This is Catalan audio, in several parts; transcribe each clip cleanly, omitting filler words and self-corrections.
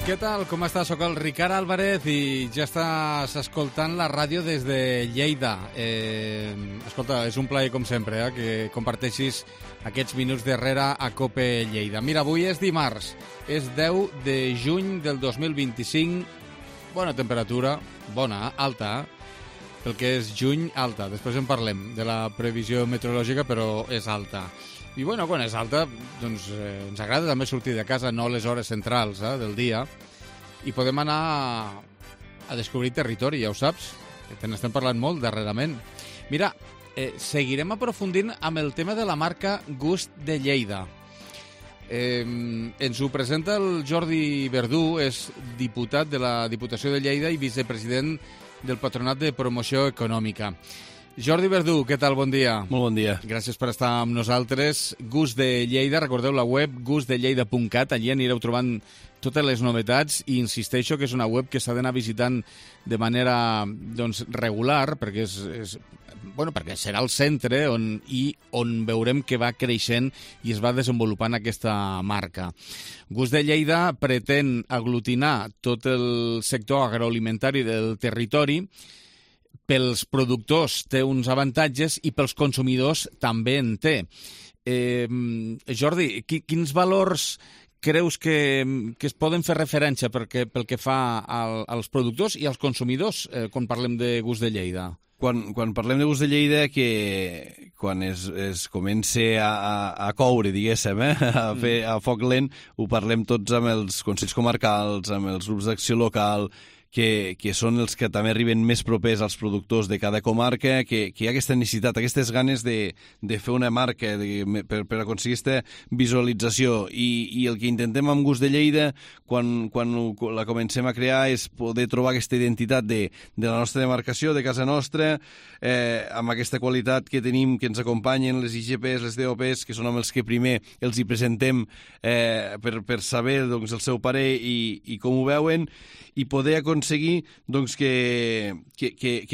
Què tal? Com estàs? Soc el Ricard Álvarez i ja estàs escoltant la ràdio des de Lleida. Escolta, és un plaer, com sempre, que comparteixis aquests minuts darrere a COPE Lleida. Mira, avui és dimarts, és 10 de juny del 2025. Bona temperatura, bona, alta, pel que és juny, alta. Després en parlem de la previsió meteorològica, però és alta. I bueno, quan és alta, doncs ens agrada també sortir de casa, no a les hores centrals del dia, i podem anar a descobrir territori, ja ho saps, que te n'estem parlant molt darrerament. Mira, seguirem aprofundint amb el tema de la marca Gust de Lleida. Ens ho presenta el Jordi Verdú, és diputat de la Diputació de Lleida i vicepresident del Patronat de Promoció Econòmica. Jordi Verdú, què tal? Bon dia. Molt bon dia. Gràcies per estar amb nosaltres. Gust de Lleida, recordeu la web gustdelleida.cat, allí anireu trobant totes les novetats i insisteixo que és una web que s'ha d'anar visitant de manera regular perquè perquè serà el centre on veurem que va creixent i es va desenvolupant aquesta marca. Gust de Lleida pretén aglutinar tot el sector agroalimentari del territori. Pels productors té uns avantatges i pels consumidors també en té. Jordi, quins valors creus que es poden fer referència pel que fa als productors i als consumidors quan parlem de Gust de Lleida? Quan parlem de Gust de Lleida, que quan es comença a coure, diguéssim, a foc lent, ho parlem tots amb els consells comarcals, amb els grups d'acció local, que són els que també arriben més propers als productors de cada comarca, que hi ha aquesta necessitat, aquestes ganes de fer una marca per aconseguir aquesta visualització. I el que intentem amb Gust de Lleida, quan la comencem a crear, és poder trobar aquesta identitat de la nostra demarcació, de casa nostra, amb aquesta qualitat que tenim, que ens acompanyen les IGPs, les DOPs, que són amb els que primer els hi presentem per saber el seu parer i com ho veuen, i poder aconseguir que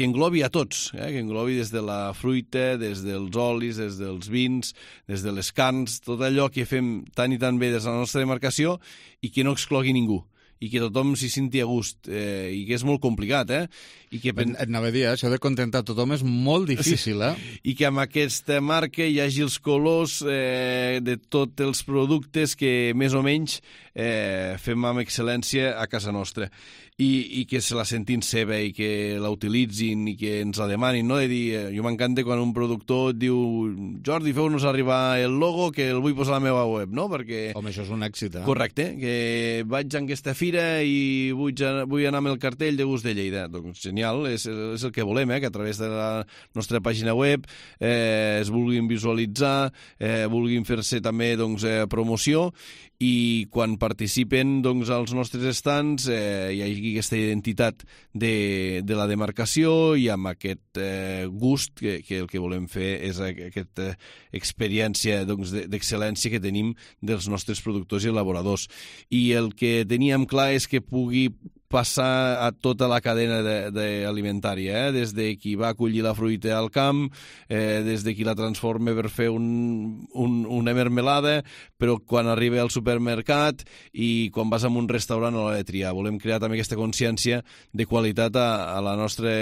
englobi a tots, que englobi des de la fruita, des dels olis, des dels vins, des de les carns, tot allò que fem tan i tan bé des de la nostra demarcació i que no exclogui ningú, i que tothom s'hi senti a gust, i que és molt complicat, I que et anava a dir, això de contentar tothom és molt difícil, I que amb aquesta marca hi hagi els colors de tots els productes que més o menys fem amb excel·lència a casa nostra. I que se la sentin seva i que la utilitzin i que ens la demanin, no? De dir, jo m'encanta quan un productor et diu Jordi, feu-nos arribar el logo que el vull posar a la meva web, no? Perquè... Home, això és un èxit, Correcte, que vaig a aquesta fira i vull anar amb el cartell de Gust de Lleida. Doncs genial, és el que volem, que a través de la nostra pàgina web es vulguin visualitzar, vulguin fer-se també promoció, i quan participen als nostres estants hi hagi aquesta identitat de la demarcació i amb aquest gust que el que volem fer és aquesta experiència d'excel·lència que tenim dels nostres productors i elaboradors. I el que teníem clar és que pugui passar a tota la cadena alimentària, des de qui va acollir la fruita al camp, des de qui la transforma per fer una mermelada, però quan arriba al supermercat i quan vas a un restaurant a l'hora de triar. Volem crear també aquesta consciència de qualitat a la nostra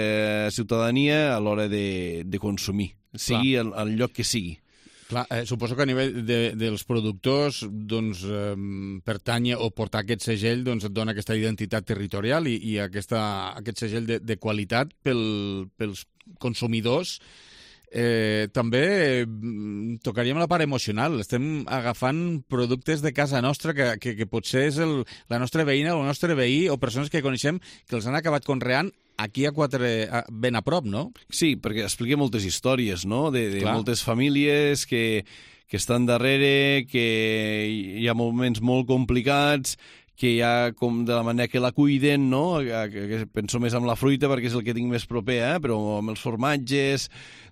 ciutadania a l'hora de consumir, sigui al lloc que sigui. Clar, suposo que a nivell dels productors pertany o portar aquest segell et dona aquesta identitat territorial i aquest segell de qualitat pels consumidors. També tocaríem la part emocional. Estem agafant productes de casa nostra que potser és la nostra veïna o el nostre veí o persones que coneixem que els han acabat conreant aquí ben a prop, no? Sí, perquè explica moltes històries, no?, de moltes famílies que estan darrere, que hi ha moments molt complicats, que hi ha com de la manera que la cuiden, no? Que penso més en la fruita perquè és el que tinc més proper, però amb els formatges,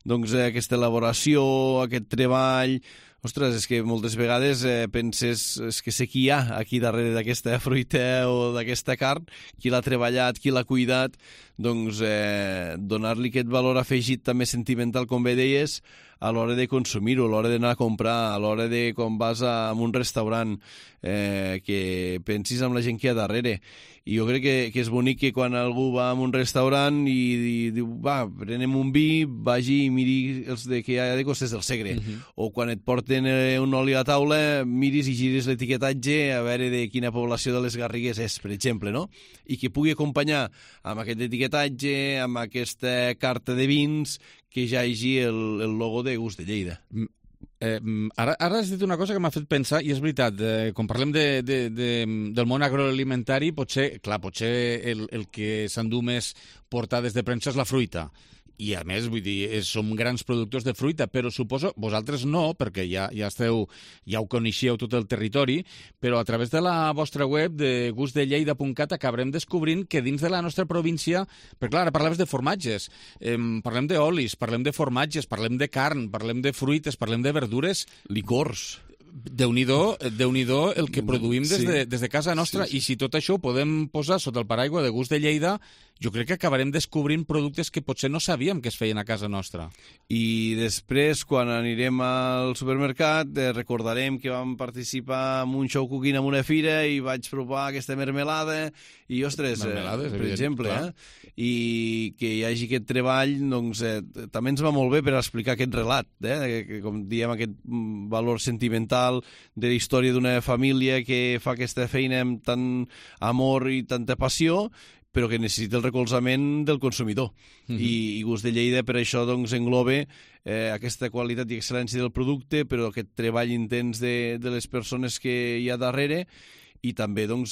aquesta elaboració, aquest treball... Ostres, és que moltes vegades penses que sé qui hi ha aquí darrere d'aquesta fruita o d'aquesta carn, qui l'ha treballat, qui l'ha cuidat, donar-li aquest valor afegit també sentimental, com bé deies, a l'hora de consumir-ho, a l'hora d'anar a comprar, a l'hora de quan vas a un restaurant, que pensis en la gent que hi ha darrere. I jo crec que és bonic que quan algú va a un restaurant i diu, va, prenem un vi, vagi i miri els que hi ha de Costes del Segre. O quan et porten un oli a taula, miris i giris l'etiquetatge a veure de quina població de les Garrigues és, per exemple, no? I que pugui acompanyar amb aquest etiquetatge, amb aquesta carta de vins, que ja hi hagi el logo de Gust de Lleida. Ara has dit una cosa que m'ha fet pensar, i és veritat, quan parlem del món agroalimentari, potser el que s'endú més portades de premsa és la fruita. I, a més, vull dir, som grans productors de fruita, però suposo, vosaltres no, perquè ja ho coneixíeu tot el territori, però a través de la vostra web de gustdelleida.cat acabarem descobrint que dins de la nostra província, perquè clar, ara parlaves de formatges, parlem d'olis, parlem de formatges, parlem de carn, parlem de fruites, parlem de verdures, licors. Déu-n'hi-do el que produïm des de casa nostra, i si tot això ho podem posar sota el paraigua de Gust de Lleida, jo crec que acabarem descobrint productes que potser no sabíem que es feien a casa nostra. I després, quan anirem al supermercat, recordarem que vam participar en un show cooking en una fira i vaig provar aquesta mermelada, i, ostres, per exemple, i que hi hagi aquest treball, doncs, també ens va molt bé per explicar aquest relat, que, com diem, aquest valor sentimental de la història d'una família que fa aquesta feina amb tant amor i tanta passió, però que necessita el recolzament del consumidor. I Gust de Lleida per això doncs, engloba aquesta qualitat i excel·lència del producte, però aquest treball intens de les persones que hi ha darrere, i també doncs,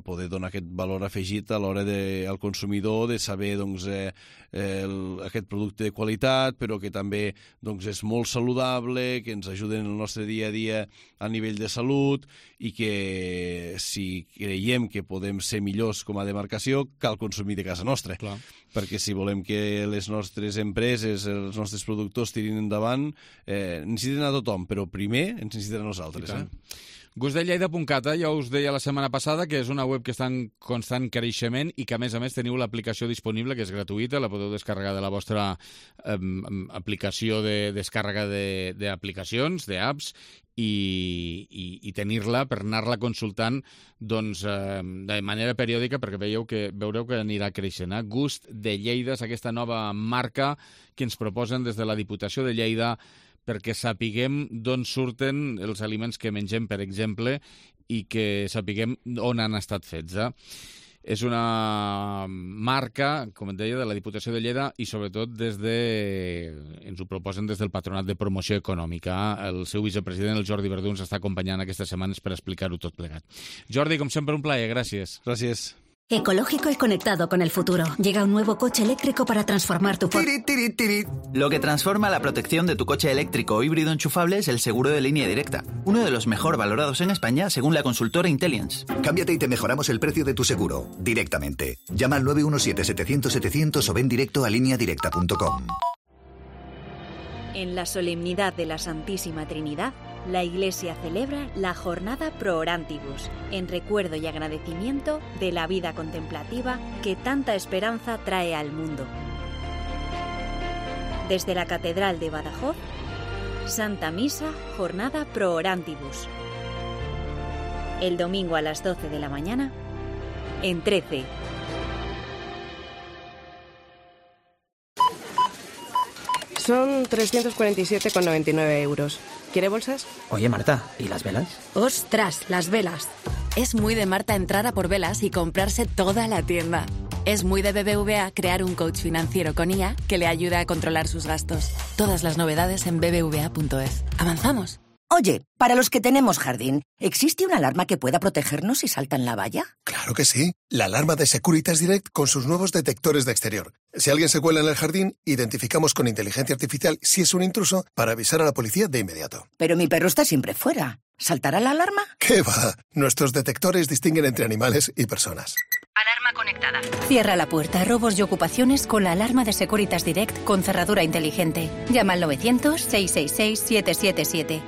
poder donar aquest valor afegit a l'hora al consumidor de saber doncs, aquest producte de qualitat, però que també doncs, és molt saludable, que ens ajuda en el nostre dia a dia a nivell de salut, i que si creiem que podem ser millors com a demarcació, cal consumir de casa nostra. Clar. Perquè si volem que les nostres empreses, els nostres productors tirin endavant, necessiten a tothom, però primer ens necessiten a nosaltres. Gustdelleida.cat, ja us deia la setmana passada que és una web que està en constant creixement i que, a més, teniu l'aplicació disponible, que és gratuïta, la podeu descarregar de la vostra aplicació de descàrrega d'aplicacions, d'apps, i tenir-la per anar-la consultant doncs, de manera periòdica, perquè veureu que anirà creixent. Gust de Lleida és aquesta nova marca que ens proposen des de la Diputació de Lleida perquè sapiguem d'on surten els aliments que mengem, per exemple, i que sapiguem on han estat fets. És una marca, com et deia, de la Diputació de Lleida i sobretot ens ho proposen des del Patronat de Promoció Econòmica. El seu vicepresident, el Jordi Verdú, ens està acompanyant aquestes setmanes per explicar-ho tot plegat. Jordi, com sempre, un plaer. Gràcies. Gràcies. Ecológico y conectado con el futuro. Llega un nuevo coche eléctrico para transformar tu... Lo que transforma la protección de tu coche eléctrico o híbrido enchufable es el seguro de línea directa, uno de los mejor valorados en España según la consultora Intellience. Cámbiate y te mejoramos el precio de tu seguro, directamente. Llama al 917-700-700 o ven directo a lineadirecta.com. En la solemnidad de la Santísima Trinidad, la Iglesia celebra la Jornada Pro Orantibus, en recuerdo y agradecimiento de la vida contemplativa que tanta esperanza trae al mundo. Desde la Catedral de Badajoz, Santa Misa, Jornada Pro Orantibus. El domingo a las 12 de la mañana, en 13. Son 347,99 euros. ¿Quiere bolsas? Oye, Marta, ¿y las velas? ¡Ostras, las velas! Es muy de Marta entrar a por velas y comprarse toda la tienda. Es muy de BBVA crear un coach financiero con IA que le ayuda a controlar sus gastos. Todas las novedades en bbva.es. ¿Avanzamos? Oye, para los que tenemos jardín, ¿existe una alarma que pueda protegernos si saltan la valla? Claro que sí. La alarma de Securitas Direct con sus nuevos detectores de exterior. Si alguien se cuela en el jardín, identificamos con inteligencia artificial si es un intruso para avisar a la policía de inmediato. Pero mi perro está siempre fuera. ¿Saltará la alarma? ¿Qué va? Nuestros detectores distinguen entre animales y personas. Alarma conectada. Cierra la puerta a robos y ocupaciones con la alarma de Securitas Direct con cerradura inteligente. Llama al 900-666-777.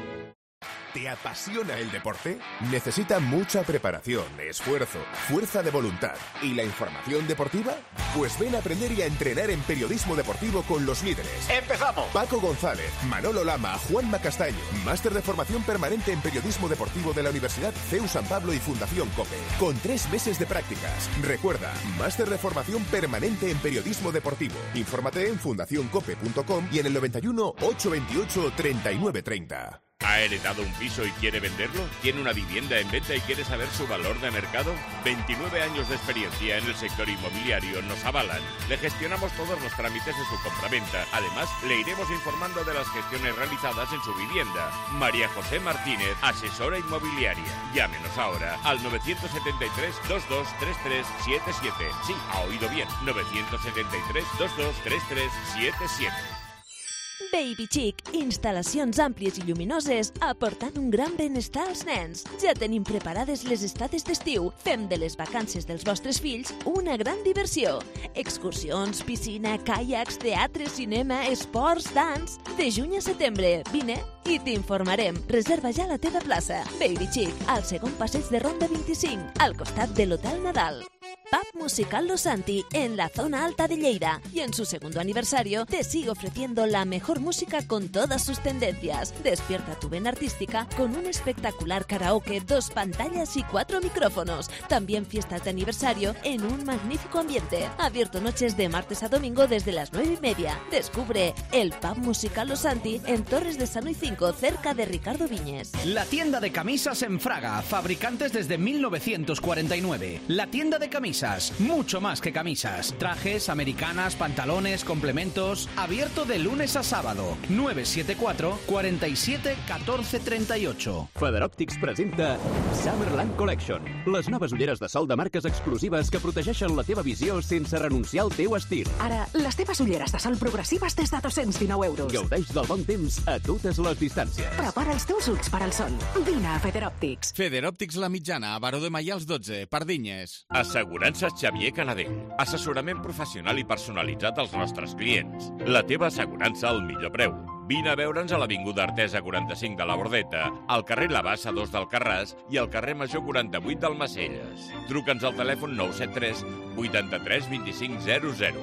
¿Te apasiona el deporte? Necesita mucha preparación, esfuerzo, fuerza de voluntad. ¿Y la información deportiva? Pues ven a aprender y a entrenar en periodismo deportivo con los líderes. ¡Empezamos! Paco González, Manolo Lama, Juanma Castaño. Máster de formación permanente en periodismo deportivo de la Universidad CEU San Pablo y Fundación COPE. Con 3 meses de prácticas. Recuerda, máster de formación permanente en periodismo deportivo. Infórmate en fundacioncope.com y en el 91 828 3930. ¿Ha heredado un piso y quiere venderlo? ¿Tiene una vivienda en venta y quiere saber su valor de mercado? 29 años de experiencia en el sector inmobiliario nos avalan. Le gestionamos todos los trámites de su compraventa. Además, le iremos informando de las gestiones realizadas en su vivienda. María José Martínez, asesora inmobiliaria. Llámenos ahora al 973 223377. Sí, ha oído bien. 973 223377. Baby Chic, instal·lacions àmplies i lluminoses aportant un gran benestar als nens. Ja tenim preparades les estades d'estiu. Fem de les vacances dels vostres fills una gran diversió. Excursions, piscina, caiacs, teatre, cinema, esports, dans... De juny a setembre, vine i t'informarem. Reserva ja la teva plaça. Baby Chic, al segon passeig de Ronda 25, al costat de l'Hotel Nadal. Pub Musical Los Santi, en la zona alta de Lleida. Y en su segundo aniversario te sigue ofreciendo la mejor música con todas sus tendencias. Despierta tu vena artística con un espectacular karaoke, 2 pantallas y 4 micrófonos. También fiestas de aniversario en un magnífico ambiente. Abierto noches de martes a domingo desde las 9:30. Descubre el Pub Musical Los Santi en Torres de Sano y 5, cerca de Ricardo Viñes. La tienda de camisas en Fraga, fabricantes desde 1949. La tienda de camisas, mucho más que camisas. Trajes, americanas, pantalones, complementos. Abierto de lunes a sábado. 974 47 14 38. Feather Optics presenta Summerland Collection. Les noves ulleres de sol de marques exclusives que protegeixen la teva visió sense renunciar al teu estil. Ara, les teves ulleres de sol progressives des de 219 euros. Gaudeix del bon temps a totes les distàncies. Prepara els teus ulls per al sol. Vine a Feather Optics. Feather Optics La Mitjana, a Baró de Maials 12, Pardinyes. Assegurances Xavier Canadell. Assessorament professional i personalitzat als nostres clients. La teva assegurança al millor preu. Vine a veure'ns a l'Avinguda Artesa 45 de la Bordeta, al carrer La Bassa 2 d'Alcarràs i al carrer Major 48 d'Almacelles. Truca'ns al telèfon 973 83 25 00.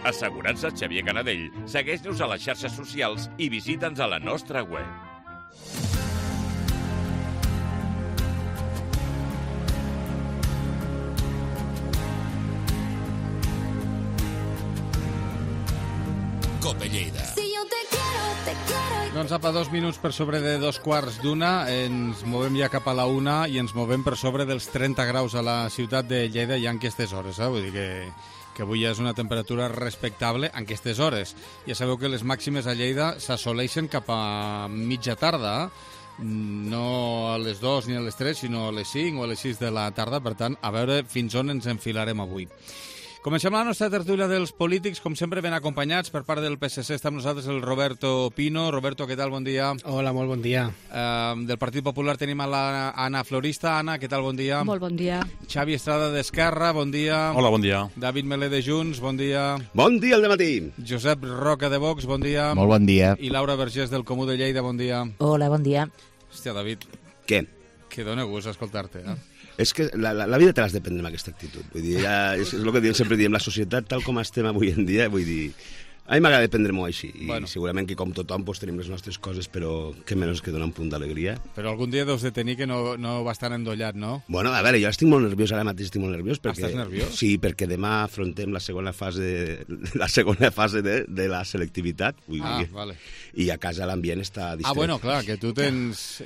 Assegurances Xavier Canadell. Segueix-nos a les xarxes socials i visita'ns a la nostra web. Cope Lleida. Doncs apa, 2 minuts per sobre de 2:15, ens movem ja cap a la 1 i ens movem per sobre dels 30 graus a la ciutat de Lleida ja en aquestes hores, vull dir que avui ja és una temperatura respectable en aquestes hores. Ja sabeu que les màximes a Lleida s'assoleixen cap a mitja tarda, no a les 2 ni a les 3, sinó a les 5 o a les 6 de la tarda, per tant, a veure fins on ens enfilarem avui. Comencem la nostra tertúlia dels polítics, com sempre ben acompanyats per part del PSC. Està amb nosaltres el Roberto Pino. Roberto, què tal? Bon dia. Hola, molt bon dia. Del Partit Popular tenim a l'Anna Florista. Anna, què tal? Bon dia. Molt bon dia. Xavi Estrada d'Esquerra, bon dia. Hola, bon dia. David Melé de Junts, bon dia. Bon dia al dematí. Josep Roca de Vox, bon dia. Molt bon dia. I Laura Vergés del Comú de Lleida, bon dia. Hola, bon dia. Hòstia, David. Què? Que dóna gust escoltar-te, És que la vida te l'has de prendre amb aquesta actitud. Vull dir, és el que sempre diem, la societat tal com estem avui en dia, vull dir, a mi m'agrada prendre-m'ho així. I segurament que com tothom tenim les nostres coses, però què menys que donar un punt d'alegria. Però algun dia deus de tenir que no va estar endollat, no? Bueno, a veure, jo estic molt nerviós, ara mateix estic molt nerviós. Estàs nerviós? Sí, perquè demà afrontem la segona fase de la selectivitat. Vale. I a casa l'ambient està distret. Bueno, clar, que tu tens...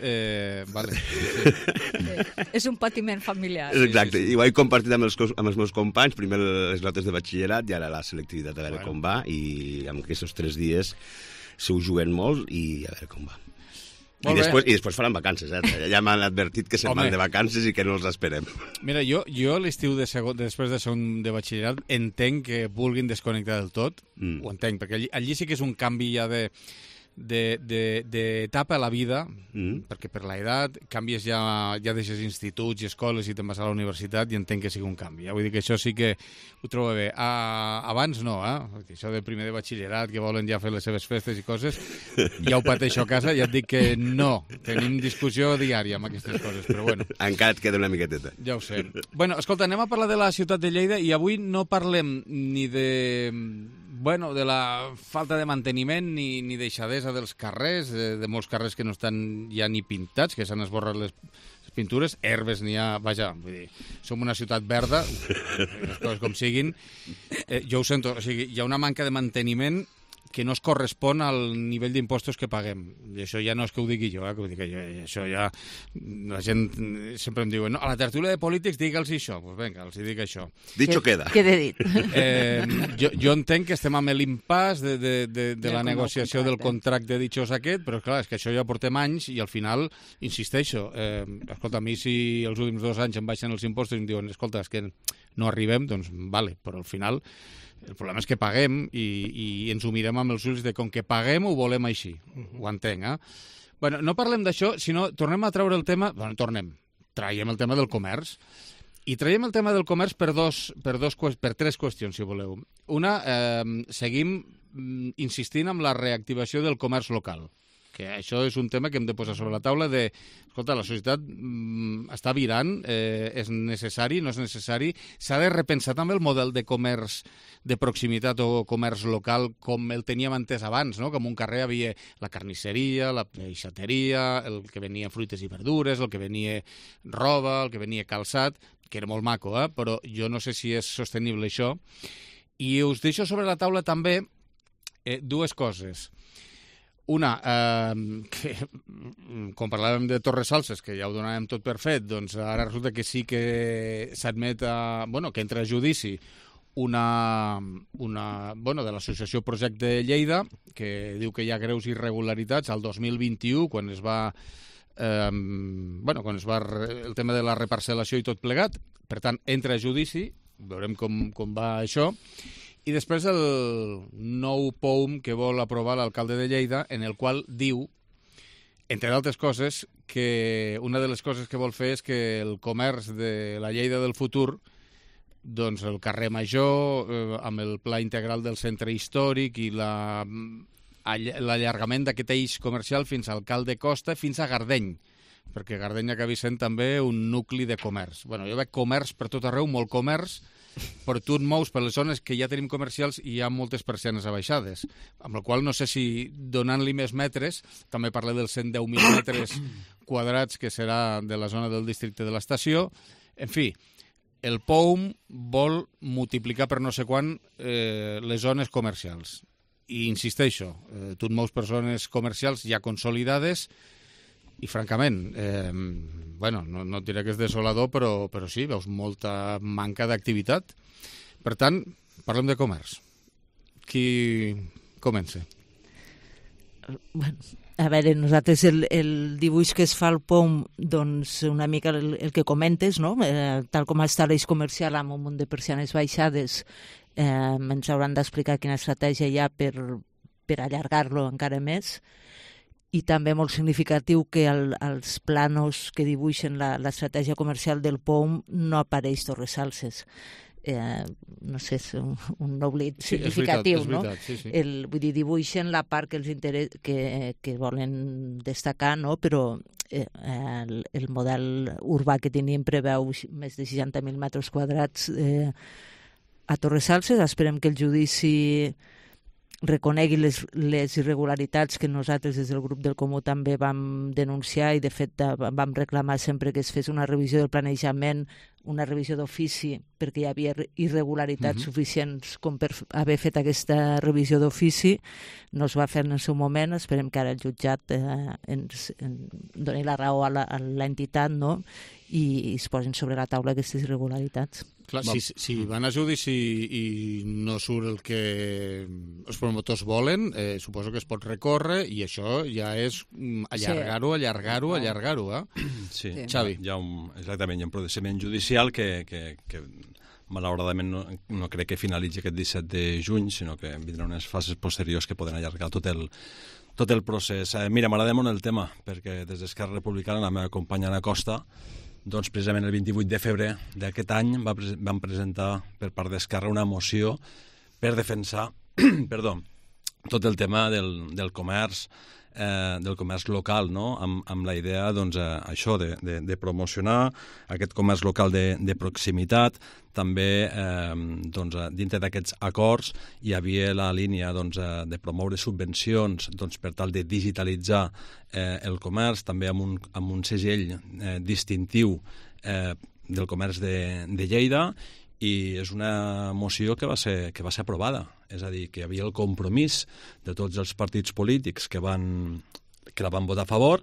Vale. És un patiment familiar. Exacte, i ho he compartit amb els meus companys, primer les notes de batxillerat i ara la selectivitat, a veure com va, i en aquests 3 dies se ho juguen molt i a veure com va. I després faran vacances, ja m'han advertit que se'n van de vacances i que no els esperem. Mira, jo l'estiu després de segon de batxillerat entenc que vulguin desconnectar del tot, ho entenc, perquè allí sí que és un canvi ja d'etapa a la vida, perquè per l'edat canvies, ja deixes instituts i escoles i te'n vas a la universitat i entenc que sigui un canvi. Vull dir que això sí que ho trobo bé. Abans no, això de primer de batxillerat, que volen ja fer les seves festes i coses, ja ho pateixo a casa, ja et dic que no. Tenim discussió diària amb aquestes coses, però bueno. Encara et queda una miqueteta. Ja ho sé. Bueno, escolta, anem a parlar de la ciutat de Lleida i avui no parlem ni de la falta de manteniment ni deixadesa dels carrers, de molts carrers que no estan ja ni pintats, que s'han esborrat les pintures, herbes n'hi ha, vaja, vull dir, som una ciutat verda, les coses com siguin, jo ho sento, o sigui, hi ha una manca de manteniment que no es correspon al nivell d'impostos que paguem. I això ja no és que ho digui jo, que ho dic jo, això ja... La gent sempre em diu, no, a la tertúlia de polítics digue'ls això. Doncs vinga, els dic això. Dicho queda. Queda dit. Jo entenc que estem amb l'impàs de la negociació del contracte ditxós aquest, però clar, és que això ja portem anys i al final, insisteixo, escolta, a mi si els últims 2 anys em baixen els impostos i em diuen, escolta, és que no arribem, doncs vale, però al final... El problema és que paguem i ens ho mirem amb els ulls de com que paguem ho volem així. Ho entenc, Bueno, no parlem d'això, sinó tornem a treure el tema... Bueno, traiem el tema del comerç. I traiem el tema del comerç per 3 qüestions, si voleu. Una, seguim insistint en la reactivació del comerç local, que això és un tema que hem de posar sobre la taula de, escolta, la societat està virant, és necessari, no és necessari, s'ha de repensar també el model de comerç de proximitat o comerç local com el teníem entès abans, no? Com un carrer havia la carnisseria, la peixateria, el que venia fruites i verdures, el que venia roba, el que venia calçat, que era molt maco, però jo no sé si és sostenible això. I us deixo sobre la taula també 2 coses. Una, que quan parlàvem de Torres Salses, que ja ho donàvem tot per fet, doncs ara resulta que sí que s'admet que entra a judici de l'associació Projecte Lleida, que diu que hi ha greus irregularitats al 2021, quan es va el tema de la reparcel·lació i tot plegat. Per tant, entra a judici, veurem com va això. I després el nou POUM que vol aprovar l'alcalde de Lleida, en el qual diu, entre d'altres coses, que una de les coses que vol fer és que el comerç de la Lleida del futur, doncs el carrer Major, amb el pla integral del centre històric i l'allargament d'aquest eix comercial fins al Cal de Costa, fins a Gardeny, perquè Gardeny acabi sent també un nucli de comerç. Bueno, jo veig comerç per tot arreu, molt comerç, però tu et mous per les zones que ja tenim comercials i hi ha moltes persianes abaixades, amb la qual no sé si donant-li més metres, també parlé dels 110.000 metres quadrats que serà de la zona del districte de l'estació, en fi, el POUM vol multiplicar per no sé quan les zones comercials. I insisteixo, tu et mous per zones comercials ja consolidades i francament, no et diré que és desolador, però sí, veus molta manca d'activitat. Per tant, parlem de comerç. Qui comença? Bueno, a veure, nosaltres el dibuix que es fa al POUM, doncs una mica el que comentes, no? Tal com està l'eix comercial amb un munt de persianes baixades, ens hauran d'explicar quina estratègia hi ha per allargar-lo encara més. I també molt significatiu que als planos que dibuixen l'estratègia comercial del POUM no apareix Torres Salses. No sé, és un oblit significatiu, no? Sí. Vull dir, dibuixen la part que els que volen destacar, no? Però el model urbà que tenim preveu més de 60.000 metres quadrats a Torres Salses. Esperem que el judici reconegui les irregularitats que nosaltres des del grup del Comú també vam denunciar i de fet vam reclamar sempre que es fes una revisió del planejament, una revisió d'ofici, perquè hi havia irregularitats suficients com per haver fet aquesta revisió d'ofici. No es va fer en el seu moment, esperem que ara el jutjat ens doni la raó a l'entitat, no? I es posin sobre la taula aquestes irregularitats. Clar, si van a judici i no surt el que els promotors volen, suposo que es pot recórrer i això ja és allargar-ho, Sí, Xavi. Exactament, hi ha un procediment judicial que malauradament no crec que finalitzi aquest 17 de juny, sinó que vindran unes fases posteriors que poden allargar tot el procés. Mira, m'agrada molt el tema, perquè des d'Esquerra Republicana, la meva companya Ana Costa, doncs precisament el 28 de febrer d'aquest any van presentar per part d'Esquerra una moció per defensar tot el tema del comerç local, no? Amb la idea, doncs, això, de promocionar aquest comerç local de proximitat. També, doncs, dintre d'aquests acords hi havia la línia, doncs, de promoure subvencions, doncs, per tal de digitalitzar el comerç, també amb un segell distintiu del comerç de Lleida, i és una moció que va ser aprovada. És a dir, que hi havia el compromís de tots els partits polítics que la van votar a favor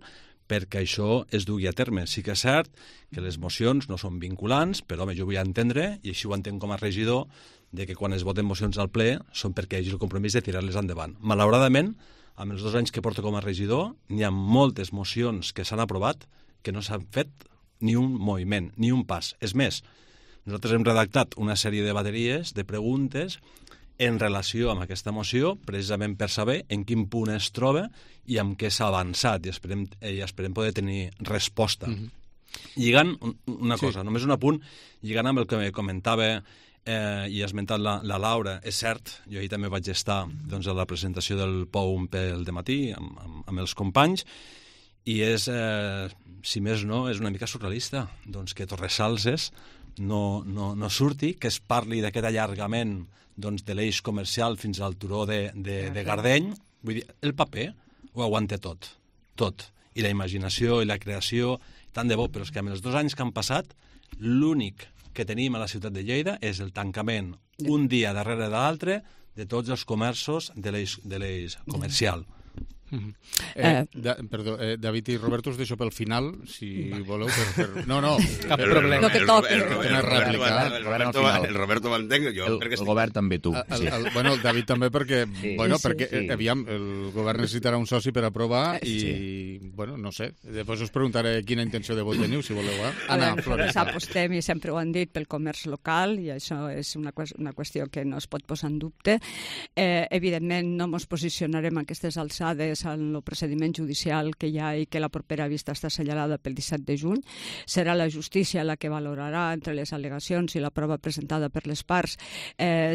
perquè això es dugui a terme. Sí que és cert que les mocions no són vinculants, però home, jo vull entendre, i així ho entenc com a regidor, de que quan es voten mocions al ple són perquè hi hagi el compromís de tirar-les endavant. Malauradament, amb els 2 anys que porto com a regidor, n'hi ha moltes mocions que s'han aprovat que no s'han fet ni un moviment, ni un pas. És més, nosaltres hem redactat una sèrie de bateries de preguntes en relació amb aquesta moció, precisament per saber en quin punt es troba i amb què s'ha avançat, i esperem poder tenir resposta. Lligant una cosa, només un apunt, lligant amb el que comentava i ha esmentat la Laura, és cert, jo ahir també vaig estar, doncs, a la presentació del POUM pel dematí amb els companys, i és, si més no, és una mica surrealista, doncs, que Torresalses no surti, que es parli d'aquest allargament, doncs, de l'eix comercial fins al turó de Gardeny. Vull dir, el paper ho aguanta tot. I la imaginació i la creació, tant de bo, però és que amb els 2 anys que han passat, l'únic que tenim a la ciutat de Lleida és el tancament, un dia darrere de l'altre, de tots els comerços de l'eix comercial. Perdó, David i Roberto, us deixo pel final, si voleu. No, cap problema. Lo que toque. El Roberto m'entenc, jo. El govern també, tu. Bueno, el David també, perquè aviam, el govern necessitarà un soci per aprovar i, bueno, no sé, després us preguntaré quina intenció de vot teniu, si voleu. Anna, Flores. Apostem, i sempre ho han dit, pel comerç local, i això és una qüestió que no es pot posar en dubte. Evidentment, no ens posicionarem a aquestes alçades en el procediment judicial que hi ha i que la propera vista està assenyalada pel 17 de juny. Serà la justícia la que valorarà entre les al·legacions i la prova presentada per les parts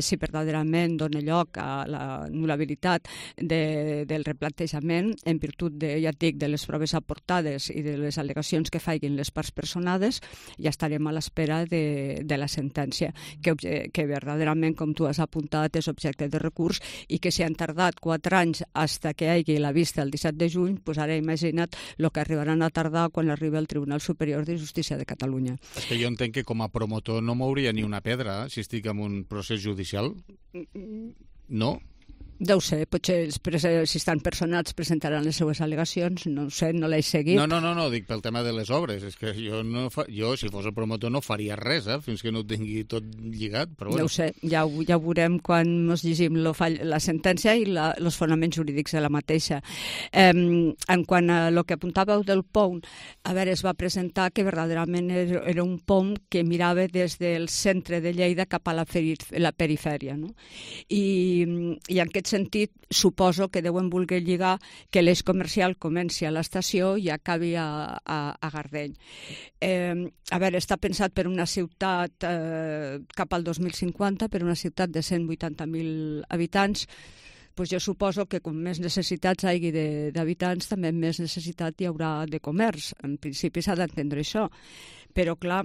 si verdaderament dona lloc a la nul·labilitat del replantejament en virtut, ja et dic, de les proves aportades i de les al·legacions que facin les parts personades. Ja estarem a l'espera de la sentència, que verdaderament, com tu has apuntat, és objecte de recurs i que si han tardat 4 anys fins que hi hagi la vista el 17 de juny, doncs ara imagina't el que arribaran a tardar quan arriba el Tribunal Superior de Justícia de Catalunya. És que jo entenc que com a promotor no mouria ni una pedra si estic en un procés judicial. No? Deu ser, potser si estan personats presentaran les seues al·legacions, no sé, no l'he seguit. No, dic pel tema de les obres, és que jo si fos el promotor no faria res, fins que no ho tingui tot lligat, però bueno. Deu ser, ja ho veurem quan ens llegim la sentència i els fonaments jurídics de la mateixa. En quant a el que apuntàveu del POUM, a veure, es va presentar que verdaderament era un POUM que mirava des del centre de Lleida cap a la perifèria, no? I en aquest sentit, suposo que deuen voler lligar que l'eix comercial comenci a l'estació i acabi a Gardeny. A veure, està pensat per una ciutat cap al 2050, per una ciutat de 180.000 habitants. Pues jo suposo que com més necessitats hi hagi d'habitants, també més necessitat hi haurà de comerç. En principi s'ha d'entendre això. Però, clar,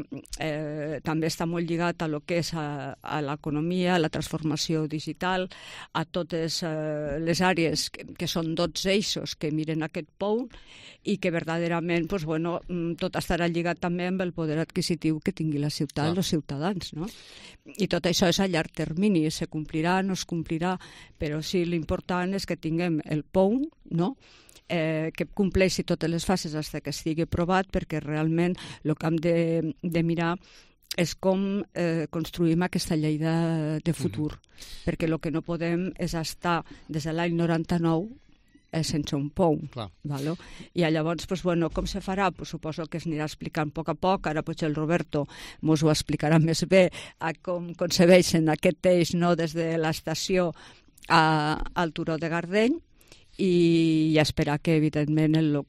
també està molt lligat a lo que és a l'economia, a la transformació digital, a totes les àrees que són 12 eixos que miren aquest POUM i que verdaderament, doncs, bueno, tot estarà lligat també amb el poder adquisitiu que tingui la ciutat, els ciutadans, no? I tot això és a llarg termini, se complirà, no es complirà, però sí, l'important és que tinguem el POUM, no?, que compleixi totes les fases fins que estigui aprovat, perquè realment el que hem de mirar és com construïm aquesta Lleida de futur, perquè el que no podem és estar des de l'any 99 sense un pou. Vale? I llavors, pues, bueno, com se farà? Pues, suposo que es anirà explicant a poc. Ara potser el Roberto mos ho explicarà més bé a com concebeixen aquest eix, no, des de l'estació al turó de Gardeny, i esperar que, evidentment, el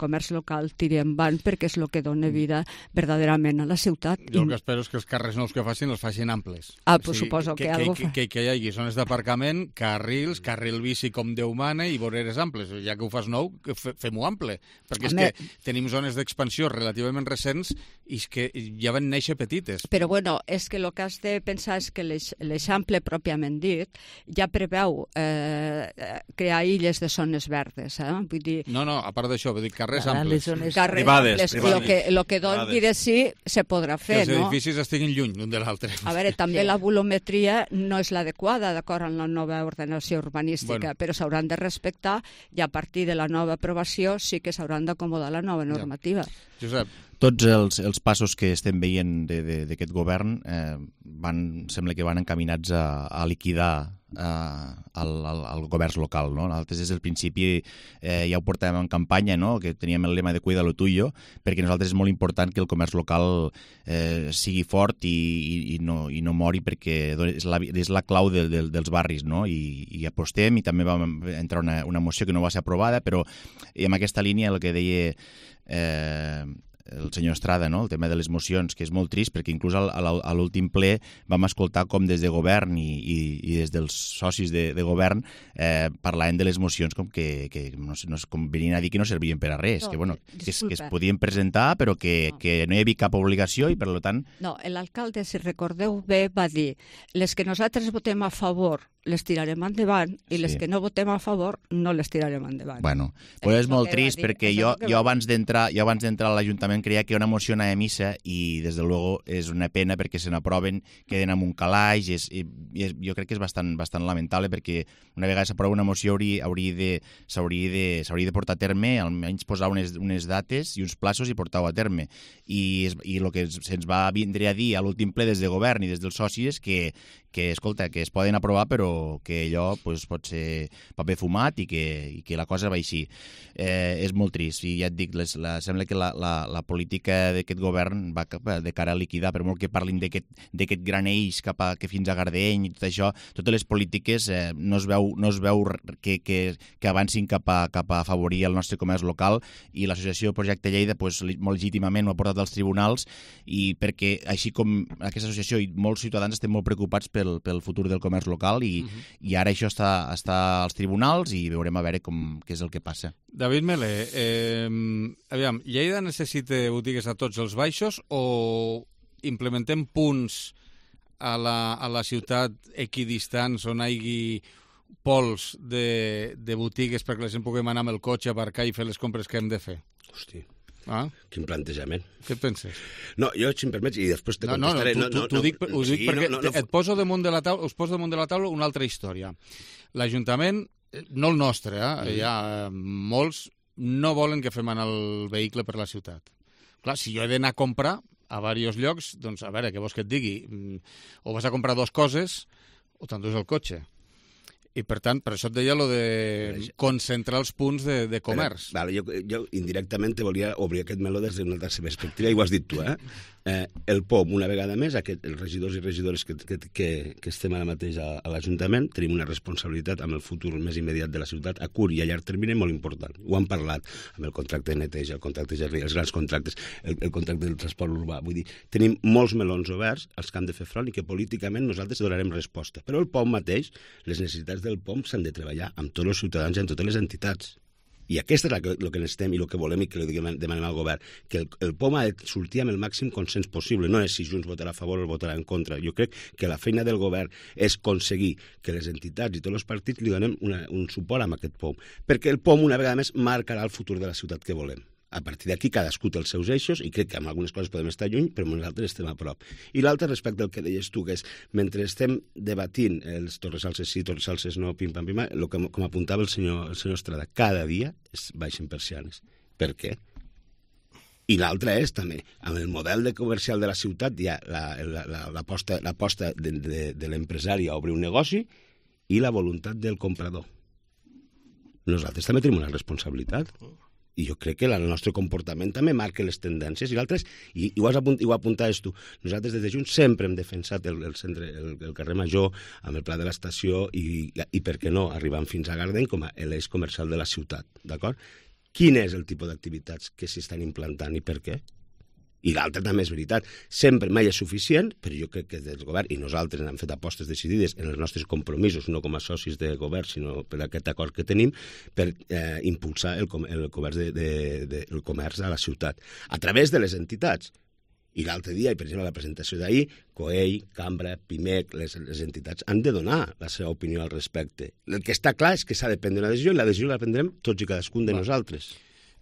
comerç local tiri endavant, perquè és el que dona vida verdaderament a la ciutat. Jo el que espero és que els carrers nous que facin els facin amples. Pues suposo que algo fa. Que hi hagi zones d'aparcament, carrils, carril bici com Déu mana i voreres amples. Ja que ho fas nou, fem-ho ample. Perquè és que tenim zones d'expansió relativament recents i és que ja van néixer petites. Però bueno, és que el que has de pensar és que l'eixample pròpiament dit ja preveu crear illes de zones verdes. Vull dir... No, a part d'això, vull dir carrers amples. Privades. El que doni de sí se podrà fer, no? Que els edificis estiguin lluny l'un de l'altre. A veure, també la volumetria no és l'adequada, d'acord amb la nova ordenació urbanística, però s'hauran de respectar i a partir de la nova aprovació sí que s'hauran d'acomodar la nova normativa. Josep. Tots els passos que estem veient d'aquest govern sembla que van encaminats a liquidar el govern local, no? Nosaltres des del principi ja ho portàvem en campanya, no? Que teníem el lema de cuida lo tuyo, perquè nosaltres és molt important que el comerç local sigui fort i no mori, perquè és la clau dels barris, no? I apostem, i també va entrar una moció que no va ser aprovada, però en aquesta línia el que deia el senyor Estrada, no? El tema de les mocions, que és molt trist, perquè inclús a l'últim ple vam escoltar com des de govern i des dels socis de govern parlaven de les mocions com que com venien a dir que no servien per a res, que es podien presentar però que no hi havia cap obligació i per tant... No, l'alcalde, si recordeu bé, va dir les que nosaltres votem a favor les tirarem endavant i les que no votem a favor no les tirarem endavant. Bueno, pues és molt trist perquè jo abans d'entrar a l'Ajuntament creia que una moció anava a missa i des de luego és una pena perquè se n'aproven, queden amb un calaix i jo crec que és bastant lamentable perquè una vegada s'aprova una moció s'hauria de portar a terme, almenys posar unes dates i uns plaços i portar-ho a terme. I el que se'ns va vindre a dir a l'últim ple des de govern i des dels socis que escolta, que es poden aprovar però que allò pot ser paper fumat i que la cosa va així. És molt trist i ja et dic, sembla que la política d'aquest govern va de cara a liquidar, per molt que parlin d'aquest gran eix que fins a Gardeny i tot això, totes les polítiques no es veu que avancin cap a afavorir el nostre comerç local i l'associació Projecte Lleida molt legítimament ho ha portat als tribunals i perquè així com aquesta associació i molts ciutadans estem molt preocupats pel futur del comerç local i ara això està als tribunals i veurem a veure què és el que passa. David Melé, aviam, Lleida necessita botigues a tots els baixos o implementem punts a la ciutat equidistants on hi hagi pols de botigues perquè la gent puguem anar amb el cotxe, aparcar i fer les compres que hem de fer? Hosti, quin plantejament. Què et penses? No, jo, si em permets, i després te contestaré... Ho dic perquè et poso damunt de la taula una altra història. L'Ajuntament, no el nostre, hi ha molts, no volen que fem anar el vehicle per la ciutat. Clar, si jo he d'anar a comprar a diversos llocs, doncs a veure, què vols que et digui? O vas a comprar dues coses o t'endús el cotxe. I, per tant, per això et deia de concentrar els punts de comerç. Jo indirectament te volia obrir aquest meló des d'una altra perspectiva, i ho has dit tu, El POM, una vegada més, els regidors i regidores que estem ara mateix a l'Ajuntament, tenim una responsabilitat amb el futur més immediat de la ciutat, a curt i a llarg termini, molt important. Ho han parlat amb el contracte de neteja, el contracte de els grans contractes, el contracte del transport urbà. Vull dir, tenim molts melons oberts als que hem de fer front i que políticament nosaltres donarem resposta. Però el POM mateix, les necessitats del POM s'han de treballar amb tots els ciutadans i amb totes les entitats. I aquest és el que necessitem i el que volem i que demanem al govern, que el POM ha de sortir amb el màxim consens possible. No és si Junts votarà a favor o votarà en contra. Jo crec que la feina del govern és aconseguir que les entitats i tots els partits li donem un suport amb aquest POM, perquè el POM una vegada més marcarà el futur de la ciutat que volem. A partir d'aquí cadascú té els seus eixos i crec que amb algunes coses podem estar lluny, però nosaltres estem a prop. I l'altre respecte al que deies tu, que és, mentre estem debatint els Torresalses sí, Torresalses no, pim-pam, com apuntava el senyor Estrada, cada dia es baixen persianes. Per què? I l'altre és, també, amb el model comercial de la ciutat hi ha l'aposta de l'empresari a obrir un negoci i la voluntat del comprador. Nosaltres també tenim una responsabilitat. I jo crec que el nostre comportament també marca les tendències. I l'altre és, i ho apuntaves tu, nosaltres des de Junts sempre hem defensat el carrer Major amb el pla de l'estació i per què no, arribant fins a Gardeny com a l'eix comercial de la ciutat, d'acord? Quin és el tipus d'activitats que s'estan implantant i per què? I l'altre també és veritat. Sempre, mai és suficient, però jo crec que des del govern, i nosaltres hem fet apostes decidides en els nostres compromisos, no com a socis de govern, sinó per aquest acord que tenim, per impulsar el comerç a la ciutat, a través de les entitats. I l'altre dia, i per exemple la presentació d'ahir, COEI, Cambra, PIMEC, les entitats han de donar la seva opinió al respecte. El que està clar és que s'ha de prendre una decisió i la decisió la prendrem tots i cadascun de nosaltres.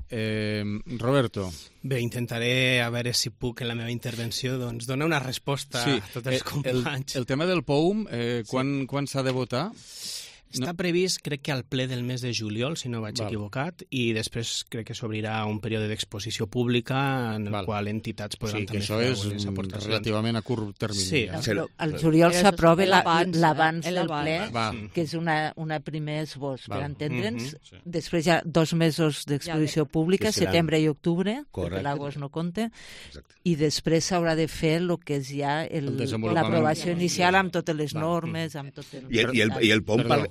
Roberto. Bé, intentaré a veure si puc en la meva intervenció doncs, donar una resposta a tots els companys. El tema del POUM, quan s'ha de votar? Està previst, crec que al ple del mes de juliol, si no vaig equivocat, i després crec que s'obrirà un període d'exposició pública en el qual entitats podran també fer les aportacions. Sí, que això és relativament a curt termini. Sí, al juliol s'aprova l'abans del ple, que és una primer esbós, per entendre'ns. Després hi ha 2 mesos d'exposició pública, setembre i octubre, perquè l'agost no compta, i després s'haurà de fer el que és ja l'aprovació inicial amb totes les normes, amb tot el... I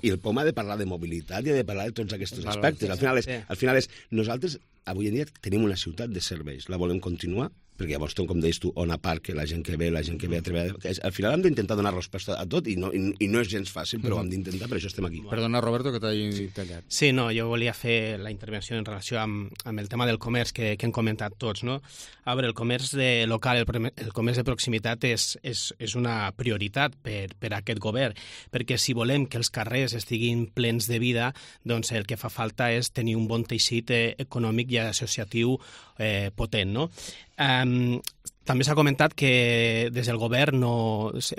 el POM ha de parlar de mobilitat i ha de parlar de tots aquests aspectes. Al final és, nosaltres avui en dia tenim una ciutat de serveis, la volem continuar, perquè llavors, com deies tu, on a part que la gent que ve a treballar... Al final hem d'intentar donar resposta a tot i no és gens fàcil, però ho hem d'intentar, per això estem aquí. Perdona, Roberto, que t'hagi tallat. Sí, no, jo volia fer la intervenció en relació amb el tema del comerç que hem comentat tots, no? A veure, el comerç local, el comerç de proximitat és una prioritat per a aquest govern, perquè si volem que els carrers estiguin plens de vida, doncs el que fa falta és tenir un bon teixit econòmic i associatiu potent, no? També s'ha comentat que des del govern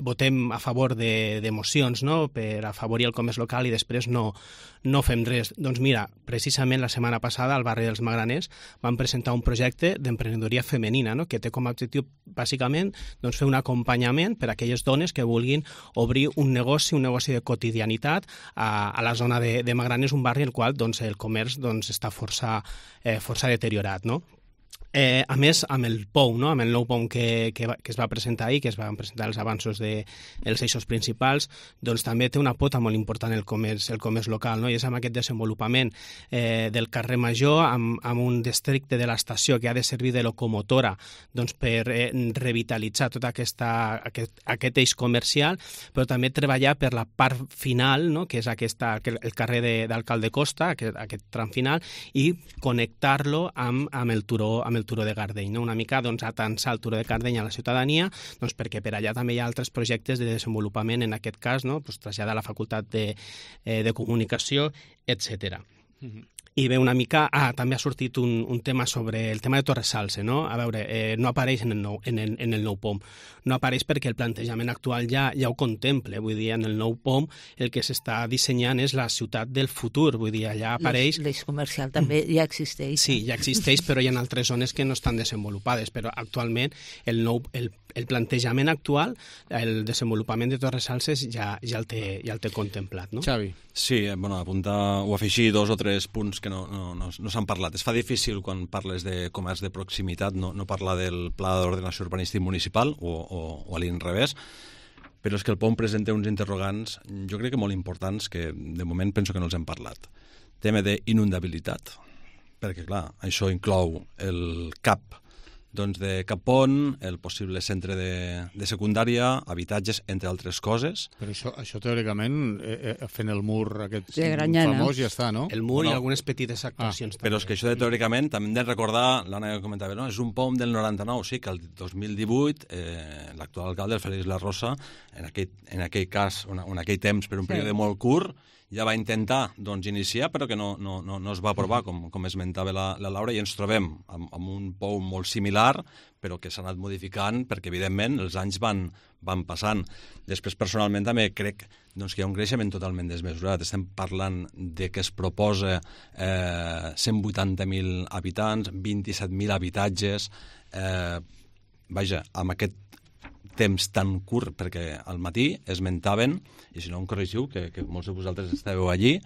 votem a favor de mocions, no?, per afavorir el comerç local i després no fem res. Doncs mira, precisament la setmana passada al barri dels Magraners van presentar un projecte d'emprenedoria femenina, no?, que té com a objectiu bàsicament fer un acompanyament per a aquelles dones que vulguin obrir un negoci de quotidianitat a la zona de Magraners, un barri en el qual el comerç està força deteriorat, no? A més, amb el POUM, amb el nou POUM que es va presentar ahir, que es van presentar els avanços dels eixos principals, doncs també té una pota molt important el comerç local, no? I és amb aquest desenvolupament del carrer Major, amb un districte de l'estació que ha de servir de locomotora per revitalitzar tot aquest eix comercial, però també treballar per la part final, no?, que és el carrer d'Alcalde Costa, aquest tram final, i connectar-lo amb el turó de Gardeny, no? Una mica atansar el turó de Gardeny a la ciutadania, perquè per allà també hi ha altres projectes de desenvolupament, en aquest cas, no?, traslladar la facultat de comunicació, etc. I bé, una mica, també ha sortit un tema sobre el tema de Torres Salce, no? A veure, no apareix en el nou POM. No apareix perquè el plantejament actual ja ho contempla. Vull dir, en el nou POM el que s'està dissenyant és la ciutat del futur. Vull dir, allà apareix... L'eix comercial també ja existeix. Sí, ja existeix, però hi ha altres zones que no estan desenvolupades. Però actualment el plantejament actual, el desenvolupament de Torres Salces ja el té contemplat, no? Xavi. Sí, apuntar o afegir 2 o 3 punts que no s'han parlat. Es fa difícil quan parles de comerç de proximitat no parlar del Pla d'Ordenació Urbanística Municipal o a l'inrevés, però és que el POM presenta uns interrogants, jo crec que molt importants, que de moment penso que no els hem parlat. Tema d'inundabilitat, perquè clar, això inclou el CAP de Capon, el possible centre de secundària, habitatges, entre altres coses. Però això teòricament, fent el mur aquest famós, ja està, no? El mur i algunes petites actuacions. Però és que això teòricament, també hem de recordar, l'Anna comentava, no? És un POM del 99, sí, que el 2018 l'actual alcalde, el Félix La Rosa, en aquell cas, en aquell temps, per un període molt curt, ja va intentar iniciar, però que no es va aprovar, com esmentava la Laura, i ens trobem amb un POM molt similar similar, però que s'ha anat modificant perquè, evidentment, els anys van passant. Després, personalment, també crec doncs, que hi ha un creixement totalment desmesurat. Estem parlant de que es proposa 180.000 habitants, 27.000 habitatges. Vaja, amb aquest temps tan curt, perquè al matí esmentaven, i si no em corregiu, que molts de vosaltres estàveu allí,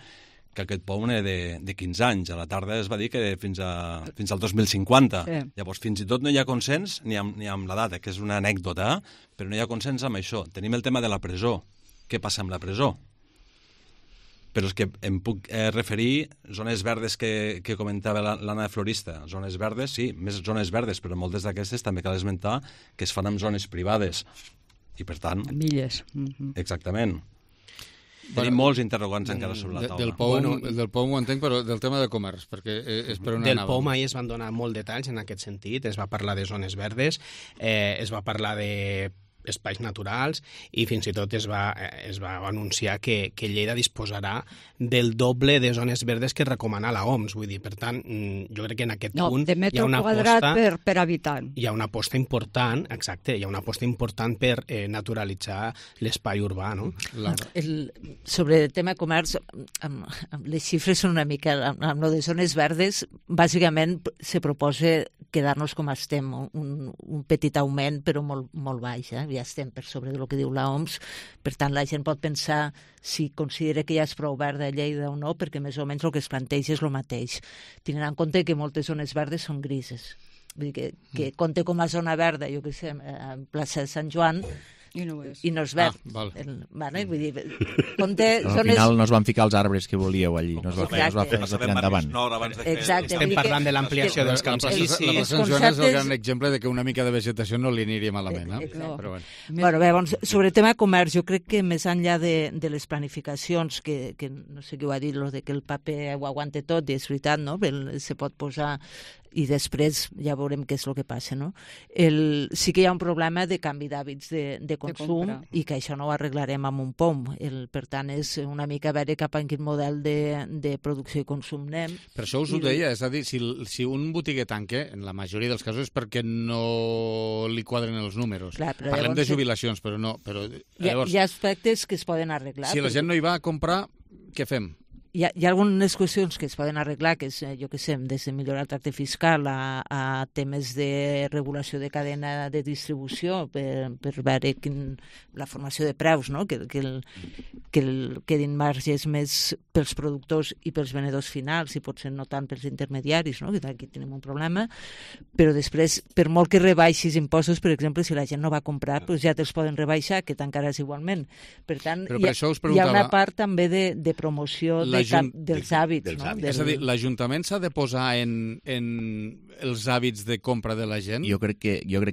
que aquest POUM era de 15 anys. A la tarda es va dir que fins al 2050. Sí. Llavors, fins i tot no hi ha consens ni amb la data, que és una anècdota, però no hi ha consens amb això. Tenim el tema de la presó. Què passa amb la presó? Però és que em puc referir zones verdes que comentava l'Anna de Florista. Zones verdes, sí, més zones verdes, però moltes d'aquestes també cal esmentar que es fan en zones privades. I, per tant... Milles. Exactament. Tenim molts interrogants encara sobre la taula. Del POUM ho entenc, però del tema de comerç, perquè és per on anàvem. Del POUM ahir es van donar molt detalls en aquest sentit, es va parlar de zones verdes, es va parlar de espais naturals i fins i tot es va anunciar que Lleida disposarà del doble de zones verdes que recomana l'OMS. Vull dir, per tant, jo crec que en aquest punt de metre quadrat per habitant. Hi ha una aposta important, exacte, hi ha una aposta important per naturalitzar l'espai urbà, no? Sobre el tema comerç, les xifres són una mica... Amb lo de zones verdes, bàsicament se proposa quedar-nos com estem, un petit augment, però molt baix, ja estem per sobre del que diu l'OMS, per tant la gent pot pensar si considera que ja és prou verda a Lleida o no, perquè més o menys el que es planteja és el mateix, tenint en compte que moltes zones verdes són grises. Vull dir que compte com a zona verda, jo què sé, a plaça de Sant Joan, i no és verd. Vull dir, compte... Al final no es van ficar els arbres que volíeu allí, no es va fer tirar endavant. Exacte. Estem parlant de l'ampliació dels camps. La plaça Sant Joan és el gran exemple de que una mica de vegetació no li aniria malament. Bé, sobre el tema comerç, jo crec que més enllà de les planificacions, que no sé qui ho ha dit, de que el paper ho aguante tot, i és veritat, no? Se pot posar i després ja veurem què és el que passa, no? Sí que hi ha un problema de canvi d'hàbits de consum i que això no ho arreglarem amb un POUM. Per tant, és una mica veure cap a quin model de producció i consum anem. Per això us ho deia, és a dir, si un botiguer tanca, en la majoria dels casos és perquè no li quadren els números. Parlem de jubilacions, però no. Hi ha aspectes que es poden arreglar. Si la gent no hi va a comprar, què fem? Hi ha algunes qüestions que es poden arreglar, que és, jo què sé, des de millorar el tracte fiscal a temes de regulació de cadena de distribució per veure la formació de preus, no? que quedin marges més pels productors i pels venedors finals i potser no tant pels intermediaris, no? Que aquí tenim un problema, però després, per molt que rebaixis impostos, per exemple, si la gent no va comprar, doncs ja te'ls poden rebaixar, que tancaràs igualment. Per tant, hi ha una part també de promoció dels hàbits. No? És a dir, l'Ajuntament s'ha de posar en els hàbits de compra de la gent? Jo crec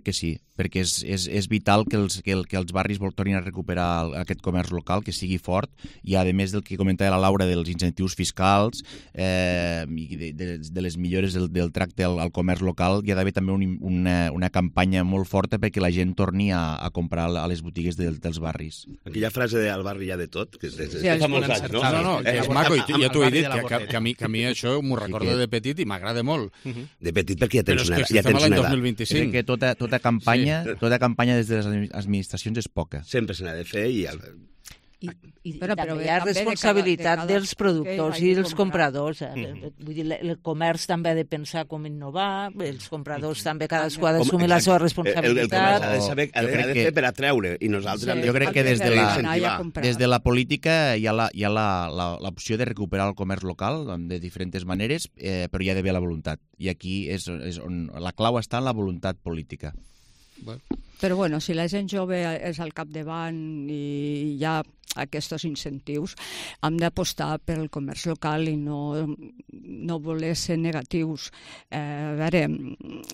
que sí, perquè és vital que els barris tornin a recuperar aquest comerç local, que sigui fort, i a més del que comentava la Laura dels incentius fiscals i de les millores del tracte al comerç local, hi ha d'haver també una campanya molt forta perquè la gent torni a comprar a les botigues dels barris. Aquella frase de al barri hi ha de tot, que és fa molts anys, no? No, és maco, i ja t'ho he dit, que a mi això m'ho recordo de petit i m'agrada molt. De petit perquè ja tens una edat. Però és que estem a l'any 2025. Que tota campanya des de les administracions és poca. Sempre se n'ha de fer i... I també hi ha responsabilitat dels productors i dels compradors. Vull dir, el comerç també ha de pensar com innovar, els compradors també cadascú ha d'assumir la seva responsabilitat. El comerç ha de saber, ha de fer per atreure, i nosaltres... Jo crec que des de la política hi ha l'opció de recuperar el comerç local de diferents maneres, però hi ha d'haver la voluntat. I aquí és on la clau està en la voluntat política. Però bueno, si la gent jove és al capdavant i hi ha aquests incentius, hem d'apostar pel comerç local i no voler ser negatius. A veure,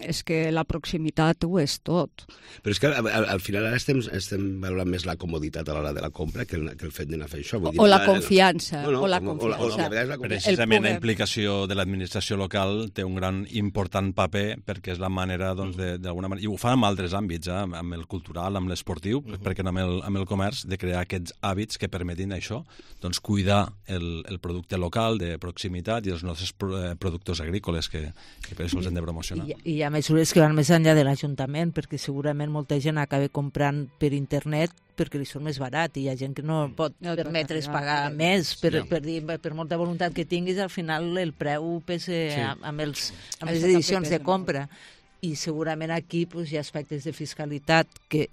és que la proximitat ho és tot. Però és que al final ara estem valorant més la comoditat a l'hora de la compra que el fet d'anar a fer això. O la confiança. Precisament la implicació de l'administració local té un gran important paper perquè és la manera, d'alguna manera, i ho fan en altres àmbits, amb el cultural, amb l'esportiu, perquè no amb el comerç, de crear aquests hàbits que permetin això, doncs cuidar el producte local de proximitat i els nostres productors agrícoles que per això els hem de promocionar. I hi ha mesures que van més enllà de l'Ajuntament, perquè segurament molta gent acaba comprant per internet perquè li són més barat i hi ha gent que no pot permetre's pagar més per molta voluntat que tinguis, al final el preu pesa amb les edicions de compra. I segurament aquí hi ha aspectes de fiscalitat que,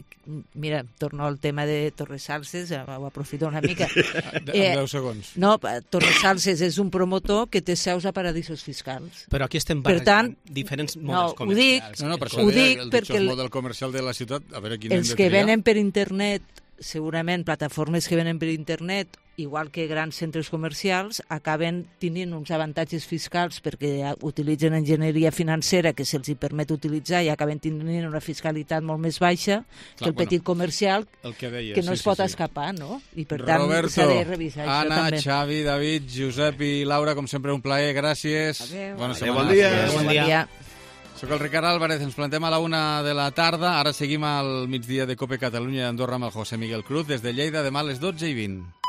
mira, torno al tema de Torresalses, ho aprofito una mica. En 10 segons. No, Torresalses és un promotor que té seus a paradisos fiscals. Però aquí estem barrejant diferents models comercials. Ho dic perquè el model comercial de la ciutat, a veure quin hem de triar. Els que venen per internet, segurament plataformes que venen per internet, igual que grans centres comercials, acaben tenint uns avantatges fiscals perquè utilitzen enginyeria financera que se'ls permet utilitzar i acaben tenint una fiscalitat molt més baixa que el petit comercial que no es pot escapar, no? I per tant s'ha de revisar això també. Anna, Xavi, David, Josep i Laura, com sempre un plaer, gràcies. Bona setmana. Bon dia. Soc el Ricard Álvarez, ens plantem a la 1 de la tarda, ara seguim al migdia de COPE Catalunya i Andorra amb el José Miguel Cruz, des de Lleida, demà a les 12:20.